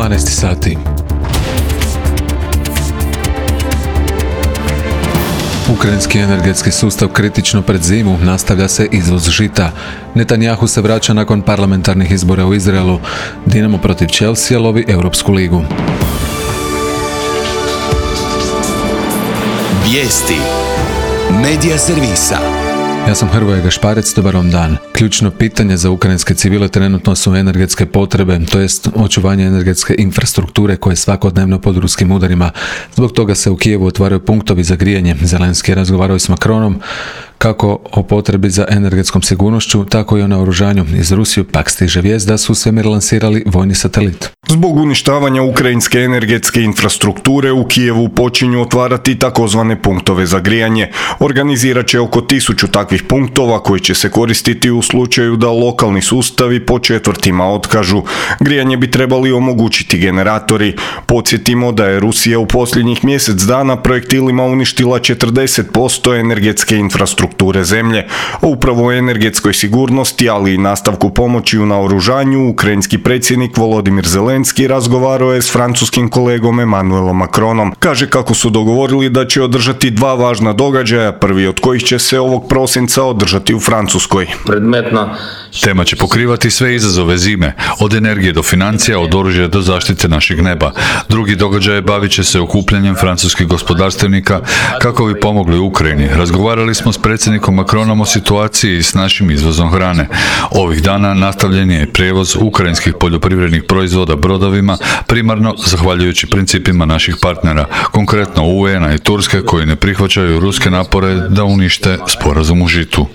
12 sati. Ukrajinski energetski sustav kritično pred zimu, nastavlja se izvoz žita. Netanjahu se vraća nakon parlamentarnih izbora u Izraelu. Dinamo protiv Chelsea lovi Europsku ligu. Vijesti Medija servisa. Ja sam Hrvoje Gašparec, dobar vam dan. Ključno pitanje za ukrajinske civile trenutno su energetske potrebe, to jest očuvanje energetske infrastrukture koje je svakodnevno pod ruskim udarima. Zbog toga se u Kijevu otvaraju punktovi za grijanje. Zelenski je razgovarao s Macronom kako o potrebi za energetskom sigurnošću, tako i o naoružanju. Iz Rusije pak stiže vijest da su u svemir lansirali vojni satelit. Zbog uništavanja ukrajinske energetske infrastrukture u Kijevu počinju otvarati takozvane punktove za grijanje. Organizirat će oko 1000 takvih punktova koji će se koristiti u slučaju da lokalni sustavi po četvrtima otkažu. Grijanje bi trebali omogućiti generatori. Podsjetimo da je Rusija u posljednjih mjesec dana projektilima uništila 40% energetske infrastrukture zemlje. A upravo o energetskoj sigurnosti, ali i nastavku pomoći u naoružanju, ukrajinski predsjednik Volodimir Zelenski razgovarao je s francuskim kolegom Emmanuelom Macronom. Kaže kako su dogovorili da će održati 2 važna događaja, prvi od kojih će se ovog prosinca održati u Francuskoj. Tema će pokrivati sve izazove zime, od energije do financija, od oružja do zaštite našeg neba. Drugi događaj bavit će se okupljanjem francuskih gospodarstvenika kako bi pomogli Ukrajini. Razgovarali smo s predsjednikom Macronom o situaciji s našim izvozom hrane. Ovih dana nastavljen je prijevoz ukrajinskih poljoprivrednih proizvoda brodovima, primarno zahvaljujući principima naših partnera, konkretno UN-a i Turske, koji ne prihvaćaju ruske napore da unište sporazum u žitu.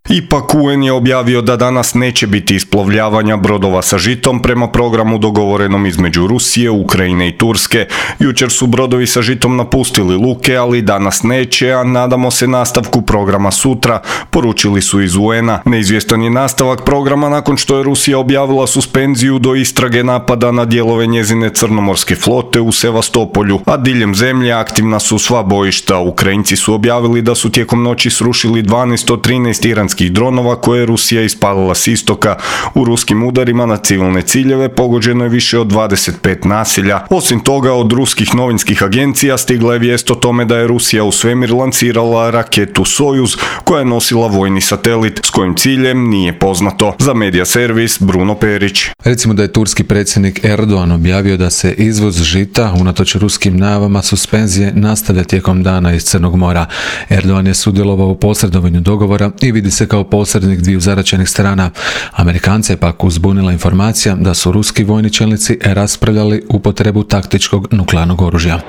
Ipak UN je objavio da danas neće biti isplovljavanja brodova sa žitom prema programu dogovorenom između Rusije, Ukrajine i Turske. Jučer su brodovi sa žitom napustili luke, ali danas neće, a nadamo se nastavku programa sutra, poručili su iz UN-a. Neizvjestan je nastavak programa nakon što je Rusija objavila suspenziju do istrage napada na dijelove njezine crnomorske flote u Sevastopolju, a diljem zemlje aktivna su sva bojišta. Ukrajinci su objavili da su tijekom noći srušili 12 od 13 iranskih dronova koje je Rusija ispalila s istoka. U ruskim udarima na civilne ciljeve pogođeno je više od 25 naselja. Osim toga, od ruskih novinskih agencija stigla je vijest o tome da je Rusija u svemir lansirala raketu Sojuz koja je nosila vojni satelit, s kojim ciljem nije poznato. Za Medija servis Bruno Perić. Recimo da je turski predsjednik Erdogan objavio da se izvoz žita, unatoč ruskim najavama suspenzije, nastavlja tijekom dana iz Crnog mora. Erdogan je sudjelovao u posredovanju dogovora i vidi se kao posrednik dviju zaraćenih strana. Amerikance je pak uzbunila informacija da su ruski vojni čelnici raspravljali upotrebu taktičkog nuklearnog oružja.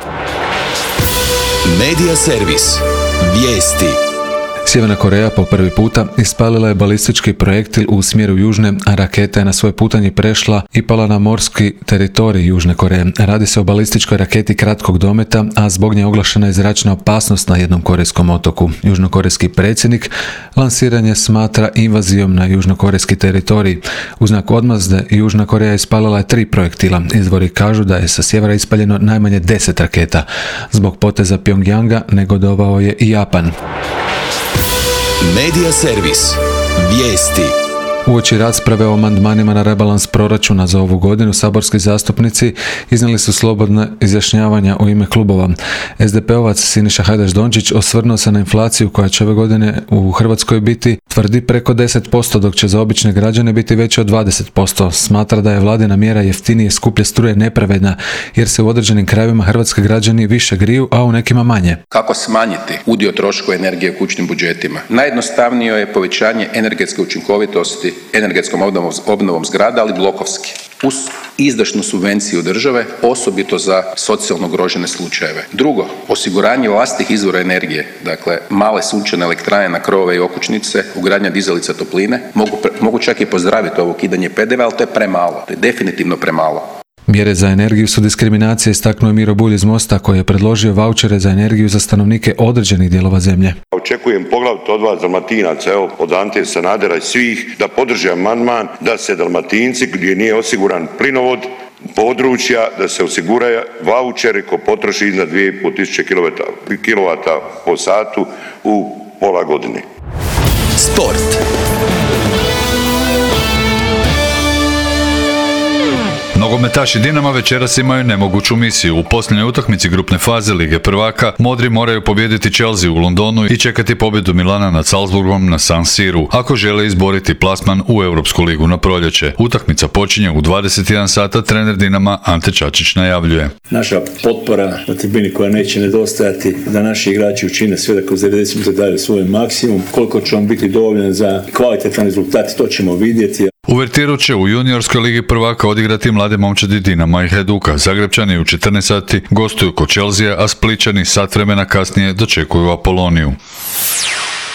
Medija servis. Vijesti. Sjeverna Koreja po prvi puta ispalila je balistički projektil u smjeru južne, a raketa je na svoj putanji prešla i pala na morski teritorij Južne Koreje. Radi se o balističkoj raketi kratkog dometa, a zbog nje oglašena je zračna opasnost na jednom korejskom otoku. Južnokorejski predsjednik lansiranje smatra invazijom na južnokorejski teritorij. U znak odmazde Južna Koreja ispalila je 3 projektila. Izvori kažu da je sa sjevera ispaljeno najmanje 10 raketa. Zbog poteza Pjongjanga negodovao je i Japan. Medija servis. Vijesti. Uoči rasprave o amandmanima na rebalans proračuna za ovu godinu, saborski zastupnici iznijeli su slobodne izjašnjavanja u ime klubova. SDP-ovac Siniša Hajdaš Dončić osvrnuo se na inflaciju koja će ove godine u Hrvatskoj biti, tvrdi, preko 10%, dok će za obične građane biti veće od 20%. Smatra da je vladina mjera jeftinije skuplje struje nepravedna, jer se u određenim krajevima hrvatski građani više griju, a u nekima manje. Kako smanjiti udio troškova energije u kućnim budžetima? Najjednostavnije je povećanje energetske učinkovitosti energetskom obnovom zgrada, ali blokovski, uz izdašnu subvenciju države, osobito za socijalno ugrožene slučajeve. Drugo, osiguranje vlastitih izvora energije, dakle male sunčane elektrane na krovove i okućnice, ugradnja dizalica topline. Mogu čak i pozdraviti ovo ukidanje PDV-a, ali to je premalo, to je definitivno premalo. Mjere za energiju su diskriminacije, istaknuo je Miro Bulj iz Mosta, koji je predložio vaučere za energiju za stanovnike određenih dijelova zemlje. Očekujem poglavito od vas Dalmatinaca, evo od Ante Sanadera i svih, da podrže amandman da se Dalmatinci gdje nije osiguran plinovod područja, da se osigura vaučeri ko potroši iznad 2500 kW po satu u pola godine. Sport. Nogometaši Dinama večeras imaju nemoguću misiju. U posljednjoj utakmici grupne faze Lige prvaka modri moraju pobijediti Chelsea u Londonu i čekati pobjedu Milana nad Salzburgom na San Siru ako žele izboriti plasman u Europsku ligu na proljeće. Utakmica počinje u 21 sata, trener Dinama Ante Čačić najavljuje. Naša potpora na tribini koja neće nedostajati, da naši igrači učine sve da kroz 90 minuta daju svoj maksimum. Koliko će on biti dovoljan za kvalitetan rezultat, to ćemo vidjeti. Uvertiru će u juniorskoj ligi prvaka odigrati mlade momčadi Dinama i Hajduka. Zagrebčani u 14 sati gostuju kod Chelsea, a Splićani sat vremena kasnije dočekuju Apoloniju.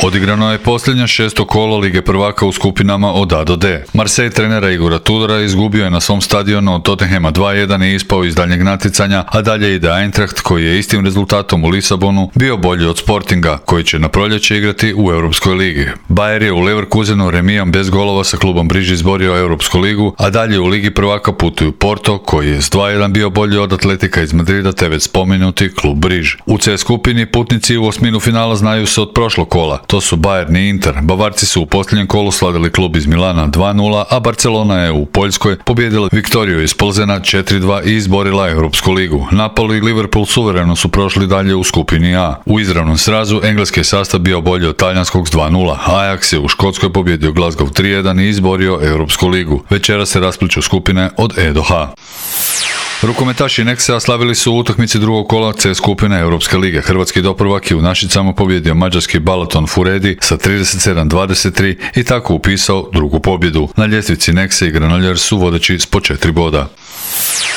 Odigrano je posljednja 6. kolo Lige prvaka u skupinama od A do D. Marseille trenera Igora Tudora izgubio je na svom stadionu od Tottenhama 2-1 i ispao iz daljnjeg natjecanja, a dalje ide Eintracht koji je istim rezultatom u Lisabonu bio bolji od Sportinga, koji će na proljeće igrati u Europskoj ligi. Bayer je u Leverkusenu remijom bez golova sa klubom Briž izborio Europsku ligu, a dalje u Ligi prvaka putuju Porto, koji je s 2-1 bio bolji od Atletika iz Madrida te već spomenuti klub Briž. U C skupini putnici u osminu finala znaju se od prošlog kola. To su Bayern i Inter. Bavarci su u posljednjem kolu slavili klub iz Milana 2-0, a Barcelona je u Poljskoj pobijedila Viktoriju iz Plzena 4-2 i izborila Europsku ligu. Napoli i Liverpool suvereno su prošli dalje u skupini A. U izravnom srazu engleski sastav bio bolji od talijanskog s 2-0. Ajax je u Škotskoj pobjedio Glasgow 3-1 i izborio Europsku ligu. Večera se raspliću skupine od E do H. Rukometaši Nexa slavili su u utakmici drugog kola C skupine Europske lige. Hrvatski doprvak je u Našicama pobjedio mađarski Balaton Furedi sa 37-23 i tako upisao drugu pobjedu. Na ljestvici Nexe i Granoljar su vodeći s po 4 boda.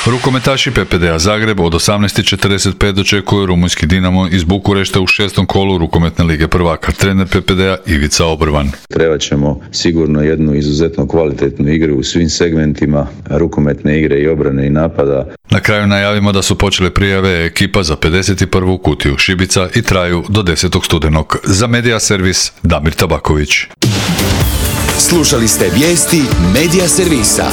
Rukometaši PPD-a Zagreb od 18:45 dočekuju rumunjski Dinamo iz Bukurešta u 6. kolu rukometne lige prvaka. Trener PPD-a Ivica Obrvan. Trebat ćemo sigurno jednu izuzetno kvalitetnu igru u svim segmentima rukometne igre i obrane i napada. Na kraju najavimo da su počele prijave ekipa za 51. kutiju šibica i traju do 10. studenog. Za Medija servis Damir Tabaković. Slušali ste vijesti Medija servisa.